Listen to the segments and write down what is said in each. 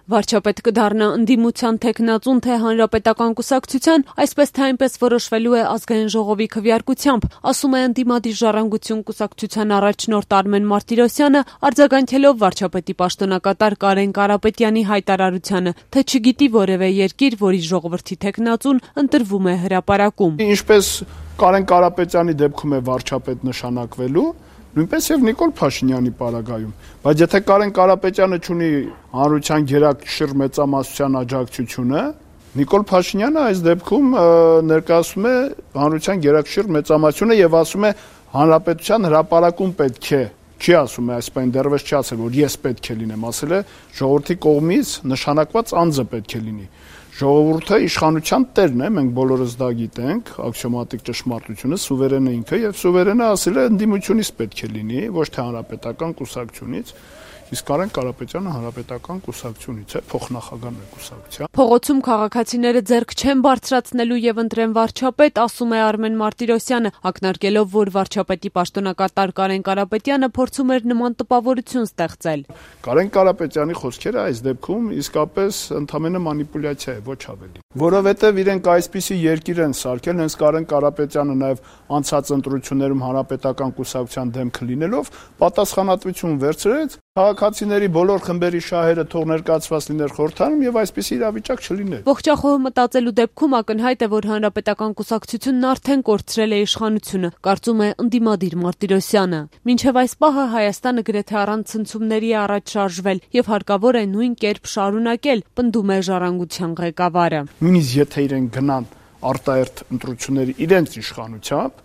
Վարչապետ կդառնա ընդդիմության թեկնածուն թե հանրապետական կուսակցության, այսպես թե այնպես որոշվելու է ազգային ժողովի քվեարկությամբ, ասում է ընդդիմադիր Ժառանգություն կուսակցության առաջնորդ Արմեն Մարտիրոսյանը, արձագանքելով վարչապետի պաշտոնակատար Կարեն Կարապետյանի հայտարարությանը, թե չգիտի որևէ երկիր, որի ժողովրդի թեկնածուն ընտրվում է հրապարակում։ Ինչպես Կարեն Կարապետյանի դեպքում է վարչապետ նշանակվելու, նույնպես եւ Նիկոլ Փաշինյանի պարագայում, բայց եթե Կարեն Կարապետյանը ունի հանրության գերակշիռ մեծամասնության աջակցությունը, Նիկոլ Փաշինյանը այս դեպքում ներկայացում է հանրության գերակշիռ մեծամասնությունը եւ ասում է հանրապետության հրապարակում պետք է, չի ասում է այսպես դեռևս չի ասել, որ ես պետք է լինեմ, ասել է ժողովրդի կողմից նշանակված անձը պետք է լինի։ Ժողովուրդը իշխանության տերն է, մենք բոլորս դա գիտենք, աքսիոմատիկ ճշմարտությունը, սուվերենը ինքը եւ սուվերենը ասել է ընդդիմությունից պետք է լինի, ոչ թե հանրապետական կուսակցությունից, իսկ Կարեն Կարապետյանը հանրապետական կուսակցությունից է, փոխնախագահն է կուսակցության։ Փողոցում քաղաքացիները ձեռք չեն բարձրացնելու եւ ընտրեն վարչապետ, ասում է Արմեն Մարտիրոսյանը, ակնարկելով, որ վարչապետի պաշտոնակատար Կարեն Կարապետյանը փորձում էր նման տպավորություն ստեղծել։ Կարեն Կարապետյանի խոսքերը այս դեպքում իսկապես ընդհանրապես մանիպուլյացիա է, ոչ ավելի։ Որովհետեւ իրենք այսպիսի երկիր են սարքել, հենց Կարեն Կարապետյանը նաեւ անցած ընտրություններում հանրապետական կուսակցության դեմքը լինելով պատասխանատվություն վերցրեց քաղաքացիների բոլոր խմբերի շահերը թող ներկայացված լիներ խորհրդարանում եւ այսպիսի իրավիճակ չլիներ։ Ողջախոհը մտածելու դեպքում ակնհայտ է, որ հանրապետական կուսակցությունն արդեն կորցրել է իշխանությունը, կարծում է ընդդիմադիր Մարտիրոսյանը։ Մինչև այս պահը Հայաստանը գրեթե առանց ցնցումների է առաջ շարժվել եւ հարկավոր է նույն կերպ շարունակել, պնդում է Ժառանգության ղեկավարը։ Նույնիսկ եթե իրենք գնան արտահերթ ընտրությունների իրենց իշխանությամբ,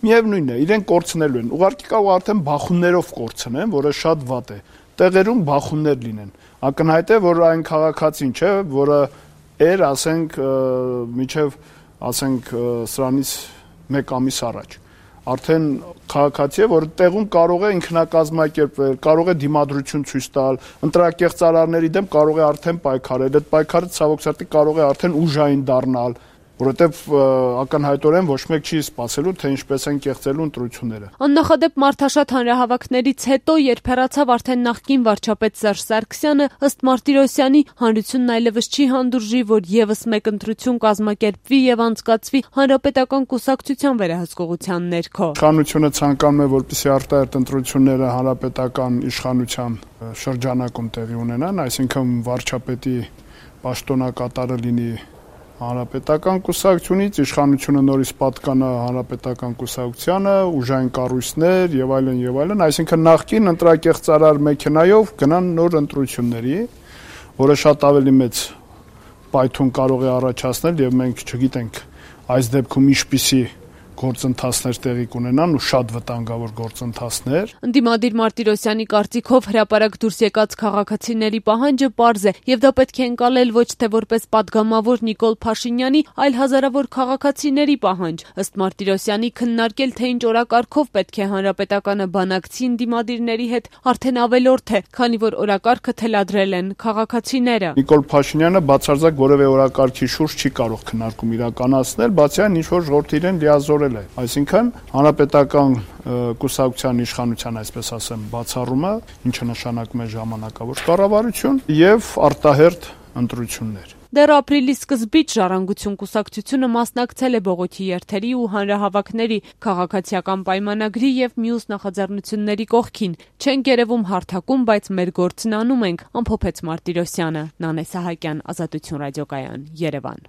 միևնույնն է, իրենք կորցնելու են։ Ուղղակի կարող արդեն բախումներով կորցնեն, որը շատ վատ է։ Տեղերում բախումներ լինեն։ Ակնհայտ է, որ այն քաղաքացին չէ, որը ասենք միջև սրանից 1 ամիս առաջ արդեն քաղաքացի է, որ տեղում կարող է ինքնակազմակերպվել, կարող է դիմադրություն ցույց տալ, ընտրակեղծարարների դեմ կարող է արդեն պայքարել, այդ պայքարը ցավոք սրտի կարող է արդեն ուժային դառնալ, որովհետև ակնհայտորեն ոչ մեկ չի սպասելու, թե ինչպես են կեղծելու ընտրությունները։ Աննախադեպ մարդաշատ հանրահավաքներից հետո, երբ հեռացավ արդեն նախկին վարչապետ Սերժ Սարգսյանը, ըստ Մարտիրոսյանի, հանրությունն այլևս չի հանդուրժի, որ եւս մեկ ընտրություն կազմակերպվի եւ անցկացվի հանրապետական կուսակցության վերահսկողության ներքո։ Իշխանությունը ցանկանում է, որպեսզի արտահերթ ընտրությունները հանրապետական իշխանության շրջանակում տեղի ունենան, այսինքն վարչապետի պաշտոնակատարը լինի հանրապետական կուսակցությունից, իշխանությունը նորից պատկանա հանրապետական կուսակցությանը, ուժային կառույցներ եւ այլն, այսինքն նախկին ընտրակեղծարար մեքենայով գնան նոր ընտրությունների, որը շատ ավելի մեծ պայթուն կարող է առաջացնել եւ մենք չգիտենք այս դեպքում ինչպիսի գործընթացներ տեղի կունենան ու շատ վտանգավոր գործընթացներ։ Ընդդիմադիր Մարտիրոսյանի կարծիքով հրապարակ դուրս եկած քաղաքացիների պահանջը պարզ է եւ դա պետք է ընկալել ոչ թե որպես падգամավոր Նիկոլ Փաշինյանի, այլ հազարավոր քաղաքացիների պահանջ։ Ըստ Մարտիրոսյանի քննարկել թե ինչ օրակարգով պետք է հանրապետականը բանակցի ընդդիմադիրների հետ արդեն ավելորդ է, քանի որ օրակարգը թելադրել են քաղաքացիները։ Նիկոլ Փաշինյանը բացարձակ որևէ օրակարգի շուրջ չի կարող քննարկում իրականացնել, բացի այն ինչ որ ժողովրդը իրեն լիազորել է, այսինքն հանրապետական կուսակցության իշխանության, այսպես ասեմ, բացառումը, ինչը նշանակում է ժամանակավոր կառավարություն եւ արտահերթ ընտրություններ։ Դեռ ապրիլի սկզբից Ժառանգություն կուսակցությունը մասնակցել է բողոքի երթերի ու հանրահավաքների, քաղաքացիական պայմանագրի եւ մյուս նախաձեռնությունների կողքին։ Չենք երևում հարթակում, բայց մեր գործն անում ենք, ամփոփեց Մարտիրոսյանը։ Նանե Սահակյան, Ազատություն ռադիոկայան, Երևան։